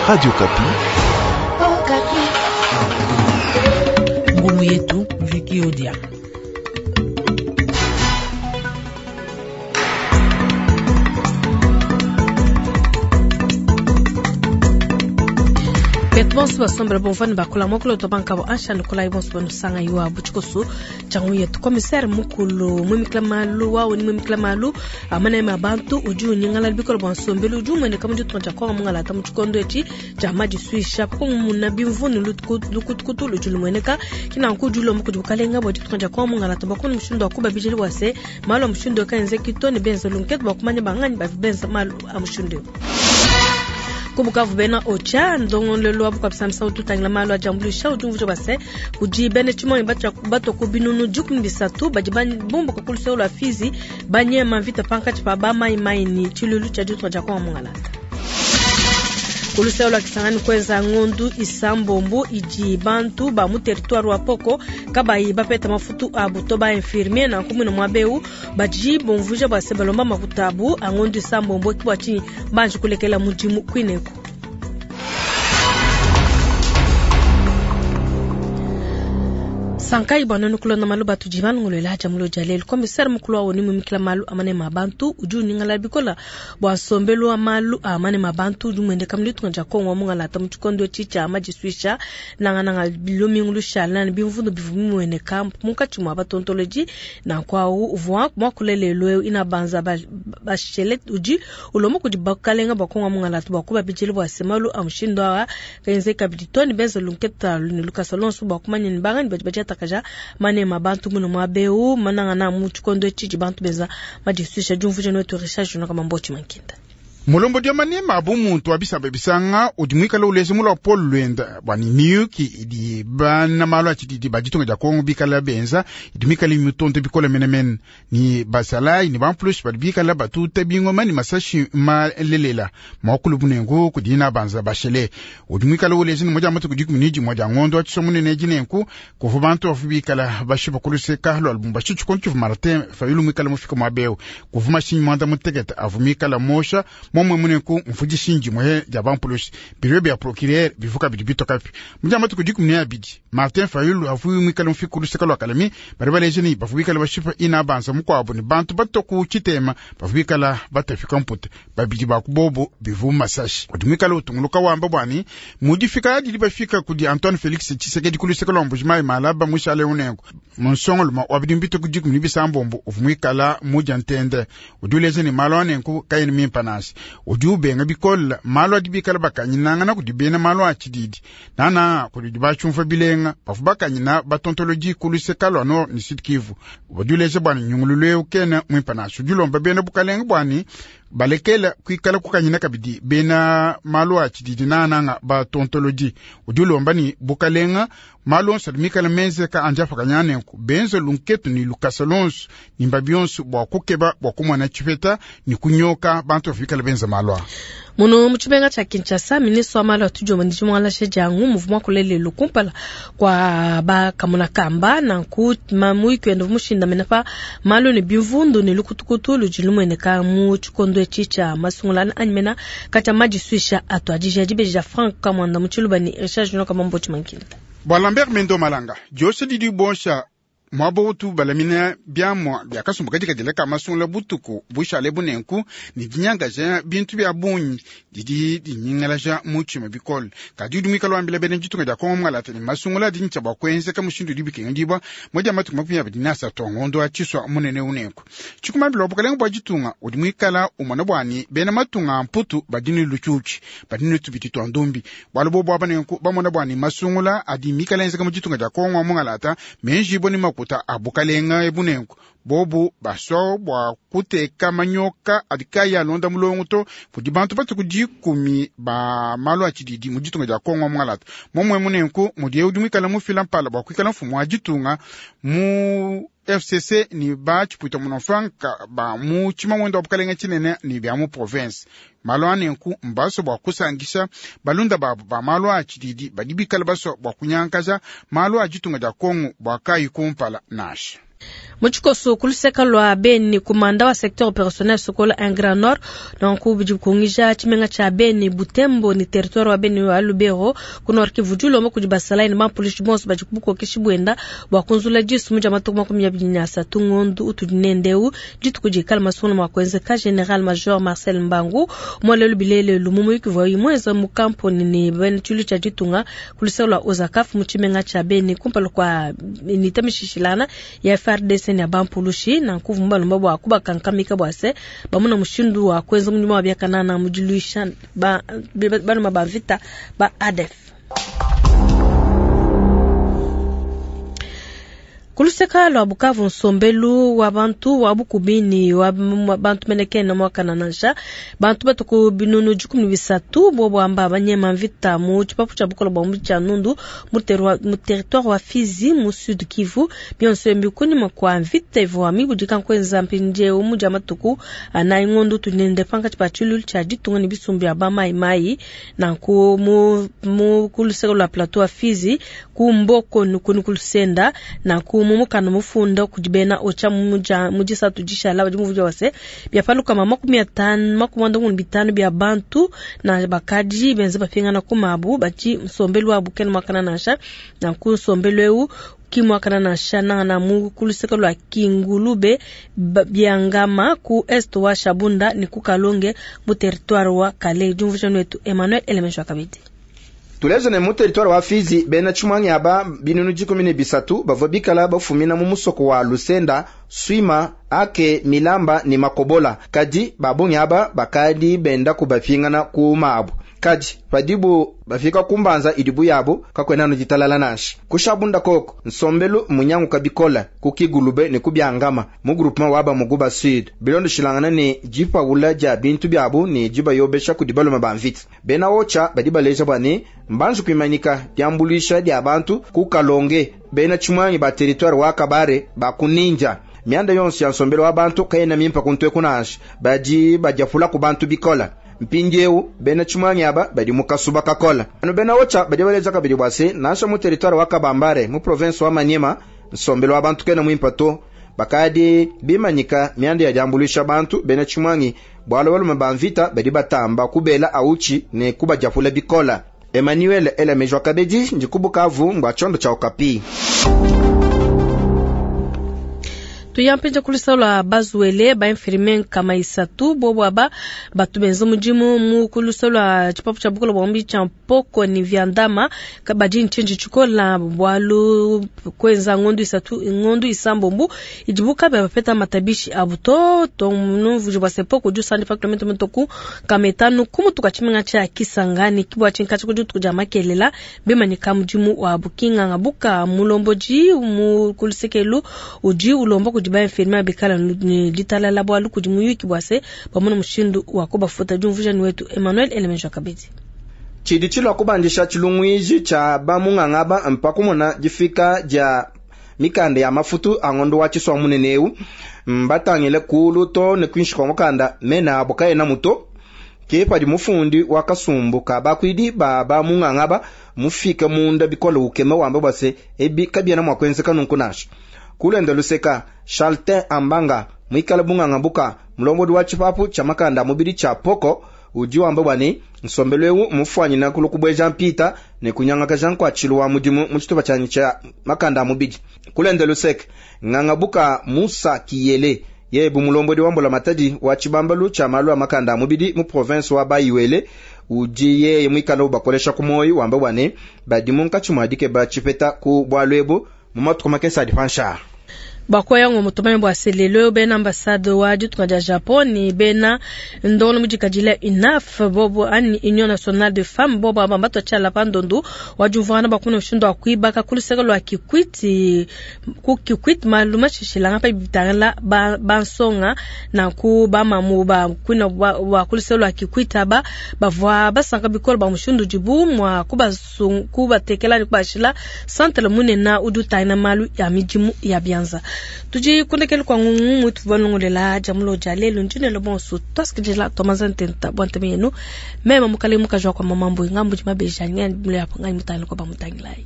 Radio Okapi. Ngumu yetu Viki Odia. Betu bonso basombela bomvua ne bakula muakulu wetu bankabo ansha nikolayi bonso banusanga iwa butshikoso tshiangu yetu commissaire mukulu muimikila malu wawu ni muimikila malu amaneme a bantu udi unyingalala bikole bua nsombelu udi umueneka mu ditunga dia kongo mungalata mu tshikondo etshi tshia madisuisha kumuna bimvundu ne lukutukutu ludi lumueneka kinanku udi ulomba kudi bukalenga bua ditunga dia kongo mungalata bua kumona mushindu wa kubabidila bua se malu a mushindu eu kaenzeki to ne benza lunkete bua kumanya banganyi bavua benza malu a mushindu eu. Ku Bukavu bena Ocha ndongoluelu wa bukua-bisangilu utu utangila malu a diambuluisha udi umvuija bua se kudi bena tshimuangi batua ku binunu 13 badi bumbuka ku luseke lua Fizi banyema mvita pankatshi pa ba Mai Mai ne tshiluilu tshia ditunga dia Kongo mungalata. Ku luseke lua Kisangani kuenza ngondu isambombo idi bantu ba mu territoire wa Poko kabayi bapeta mafutu abu to ba infirmier nanku muine muaba eu badi bumvuija bua se balomba makuta abu a ngondu isambombo ki bua tshinyi banji kulekela mudimu kuineku. Sankayi bua nuenu kulonda malu batudi balongoluela dia mulo dia lelu. Komisere mukulu wa ONU mumikila malu a maneme a bantu udi unyingalala bikola bua nsombelu wa malu a maneme a bantu udi umueneka mu ditunga dia Kongo wa mungalata mu tshikondo etshi tshia madisuisha nangananga lumingu lushala ne bimvundu bivua bimueneka munkatshi mua batontolodi. Nanku au uvua muakule lelu eu Inabanza Bachelet udi ulomba kudi bakalenga bua Kongo wa mungalata bua kubabidila bua se malu a mushindu aa kaenzeki kabidi to ne benza lunketa ne lukasa luonso bua kumanya ne banganyi badi badiatakaja maneme a bantu muine muaba eu manangana mu tshikondo etshi tshidi bantu benza madisuisha. Diumvuija netu Richard Junior Kamamboti Mankinda. Mulombodi wa maneme a bumuntu wa bisamba bisanga udi muikale uleja muluapolo luenda bua ne miyuki idi bana malu a tshididi ba ditunga dia Kongo bikala benza idi mikale mitonde bikole menemene ni basalayi ni bampulushi badi bikala batuta bingoma ni masashi malelela muakulu bunengu kudi Inabanza Bachelet udi muikale uleja ne moja matuku 11 dia ngondo wa tshisomunene dinenku kuvua bantu bavua bikala bashipa ku luseka lua Lubumbashi tshikondo tshivua Martin Fayulu muikale mufika muaba eu kuvua mashinyi muanda mutekete avua mikala mosha momwe munenku mfudishinji dimwe dia bampulushi biro bia procureur bivuka bidi bitokapi mudia matuku 12 Martin Fayulu avua muikale mufika ku luseka lua Kalemi bari baleja ni bavua bikala bashipa Inabanza mukuabu ni bantu batoku tshitema bavua bikala batafika mpute babidi ba kubobo bivu masashi udi muikale utunguluka wamba bwani mudifika didi bafika kudi Antoine Felix Tshisekedi ku luseka lua Mbujimayi Malaba mushale unenku munsongoluma wa bidi mbito ku 16 uvua muikala mudia ntende udi uleja ni malu anenku kayena mimpa nasi udi ubenga bikola malu adi bikala bakanyinangana kudi bena malu a tshididi nana kudi bachumva bilenga bavua bakanyina batontolodi ku luseka lua Nord ni Sud Kivu udi uleja bwani nyungululu eu kena mwimpa nasi udi ulomba bena bukalenga bwani balekela kuikala kukanyina kabidi bena malu a tshididi nananga batontolodi udi ulomba ni bukalenga malu onso adi mikala menzeka andi afakanya nenku benza lunketu ni lukasa lonso nimba bionso bua kukeba bua kumona tshipeta ni kunyoka bantu bafikala benza malu a muno mu tshimenga tshia Kinshasa ministre wa malu a tudiomba ndi mualashe diangu muvua muakule lelu kumpala kua bakamona kamba nanku muyuki wenda mushindamena pa malu ne bimvundu ne lukutukutu ludi lumueneka mu tshikondo etshi tshia masungulana anyi mena katshia madisuisha atuadija dibeji dia Frank Kamwanda mu tshiluba ne Richard Junior Kamamboti Mankinda. Bua Lambert Mendo Malanga diosha didi bosha muaba utu balamina biamua bia kasumbu kadikadila ka masungula butuku bushale bunenku ne dinyangaja bintu bia bungi didi dinyingalaja mutshima bikole kadi udi muikale wambila bena ditunga dia Kongo mungalata ne masungula adi ntshia bua kuenzeka mushindu udi bikengedibua moja matuku 23 a ngondo wa tshisua munene unenku tshikumambila wa bukalenga bua ditunga udi muikala umona bwani bena matunga a mputu badi ne lutshiutshi badi ne tubidi tua ndumbi bualu bobu aba nenku bamona bwani masungula adi mikala enzeka mu ditunga dia Kongo mungalata menjibua ne makuta a bukalenga ebunenku bobu baswa bua kuteka manyoka adi kayi alonda mulongo to kudi bantu batuku 10 ba malu a tshididi mu ditunga dia Kongo mungalata momwe munenku mudi udi muikala mufila mpala bua kuikala mfumu wa ditunga mu FCC ni ba tshipuita munofranka ba mu tshimamwendo wa bukalenga tshinene ni bia mu province malu anenku mbaso bua kusangisha balunda babu ba malu a tshididi badi bikala baswa bua kunyankaja malu a ditunga dia Kongo bua kayi kumpala nasha. Mu tshikoso, ku luseka lua Beni, kumanda wa secteur operationnel Sokola 1 Grand Nord, nanku bidi bikungija tshimenga tshia Beni, Butembo ne territoire wa Beni wa Lubero ku Nord Kivu, udi ulomba kudi basalayi ne bampulushi bonso badi ku bukokeshi buenda bua kunzula disu mu dia matuku 23 ngondu utudi nende eu, dituku dikala masungula mua kuenzeka. General Major Marcel Mbangu mualelu bilelelu mu muyuki uvuaye muenza mu kamponi ne bena tshilu tshia ditunga ku luseka lua Ozakaf mu tshimenga tshia Beni kumpala kua unité mishishilana ya FARDC ne ya bampulushi. Nanku uvua mubalomba bua kubakankamika bua se bamuna mushindu wa kuenza mudimu wa biakanana mu diluisha baluma ba mvita ba ADF. Ku luseka lua Bukavu, nsombelu wa bantu wa bukubi ne wa bantu mene kena muakana nansha. Bantu batu ku binunu 13 bobo amba banyema mvita mu tshipapu tshia bukole bua mu tshia Nundu mu territoire wa Fizi mu Sud Kivu. Bionso ebi kunyima kua mvita ivua mibudika nkuenza mpindieu mu dia matuku anayi ngondo tunende pankatshi pa tshiluilu tshia ditunga ne bisumbu bia ba mai mai. Nanku mu ku luseka lua plateau wa Fizi ku Mboko nukuni ku Lusenda. Nanku mu mukanda mufunda kudi bena Ocha mu disatu dishala badi muvua wase bia palukama 50 55 bia bantu na bakadi benza bapingana ku mabu badi nsombelu wabu kena muakana nansha. Nanku nsombelu eu ki muakana nansha nangana mu ku luseka lua Kingulube Biangama ku est wa Shabunda ne ku Kalonge mu territoire wa Kale. Diumvuija wetu Emmanuel Elemejwa kabidi. Tuleje ne mu territoire wa Fizi bena tshimwangi aba binunu 13 bavua bikala bafumina mu musoko wa Lusenda, Swima, Ake, Milamba ne Makobola. Kadi babungi aba bakadi benda kubapingana ku mabu. Kadi padibu bafika kumbanza idibu yabo kakwena no ditalala nansha. Kushabunda koko nsombelu munyangu kabikola kukigulube ne kubyangama mu groupement waba muguba sud. Bilondo shilangana ne jipaula ja bintu byabo ne jibayobesha kudi baluma ba mvita. Bena Ocha badi baleja bwa ne mbanzu kuimanika diambulisha dia bantu ku Kalonge. Bena tshimwangi ba territoire wa Kabare ba kuninja mianda yonso ya nsombelu wa bantu kayena mimpa kuntwe kunansha badi badiapula ku bantu bikola. Mpindieu bena tshimwangi aba badi mu kasuba kakola. Anu bena Ocha badi baleja kabidi bwa se nansha mu territoire wa Kabambare mu province wa Maniema nsombelu wa bantu kena mwimpa to. Bakadi bimanyika mianda ya diambulisha bantu bena tshimwangi bwalo balume ba mvita badi batamba kubela auchi ne kubadiapula bikola. Emmanuel Elemejwa Kabedi ndikubukavu ngwa chondo cha Okapi. Tuyampenja kulisa lwa bazuele ba infirmier kama isatu bobo aba batu benza mudimu mu kulisa lwa tshipapu tshia bukolo bwa mbi tshia mpoko ni vyandama kabadi nchinji tshikola bwalu kwenza ngondu isatu ngondu isambombu idibuka ba bapeta matabishi abuto to numvuji bwa sepoko ju sandi pa kilometre mtoku kametanu kumutuka tshimenga tshia Kisangani kibwa tshinkachi kujutu kuja makelela bimanyika mudimu wa bukinga ngabuka mulomboji mu kulisekelu uji ulomba kudi ba infirmier bikala ni ditalala bwalu kudi muyuki bwase bamona mushindu wa kubafuta. Diumvuja ni wetu Emmanuel Elemenjo Kabedi. Tshidi tshilua kubandisha tshilungwiji tsha bamungangaba mpakumona difika dia mikanda ya mafutu angondo wa tshiswa munene eu mbatangile kulu to ne kwinshi kwa mukanda mena abo kayena muto ke padi mufundi wa kasumbu ka bakwidi ba bamungangaba mufike munda bikola ukema wamba bwase ebi kabiana mwa kwenzeka nunku nasha. Kulenda luseka Charltin Ambanga mwikala bunganga buka mulombodi wa tshipapu tsha makanda mubidi tsha poko udi wamba bwane nsombelu eu mufwanyina kulu kubweja mpita ne kunyangaka Jean kwa tshilu wa mudimu mu tshitupa tshanyi tsha makanda mubidi. Kulenda luseka nganga buka Musa Kiyele yebu mulombodi wa mbola matadi wa tshibambalu tsha malu a makanda mubidi mu province wa Bayiwele udi yeye mwikala ubakolesha ku moyo wamba bwane badi munkatshi mwadike ba tshipeta ku bwalwebo mu matuku makese adi pansha. Bakoya ngo mutumanye bwa selelo bena ambassade wa ditunga dia Japon ni bena ndolo mudikadila UNAF bobo ani Union Nationale de Femmes bobo aba bato tshala pandondu wa juvana bakuna mushindu wa kuibaka kuluseka lwa Kikwiti ku Kikwiti maluma shishilanga pa bitangala ba bansonga na ku ba mamu ba kuna wa kuluseka lwa Kikwiti aba bavwa basanka bikolo ba mushindu dibu mwa kubatekela ni kubashila centre munena udutaina malu ya midimu ya bianza. Tuji kundekele kwa ngungu mutu banongolela jamulo jalelo njinelo bonso twasikidila tomaza ntenta bwanteme yenu mema mukale mukajwa kwa mamambo ngambu jimabeja nyani mule hapo ngai mutangile kwa bamutangilai.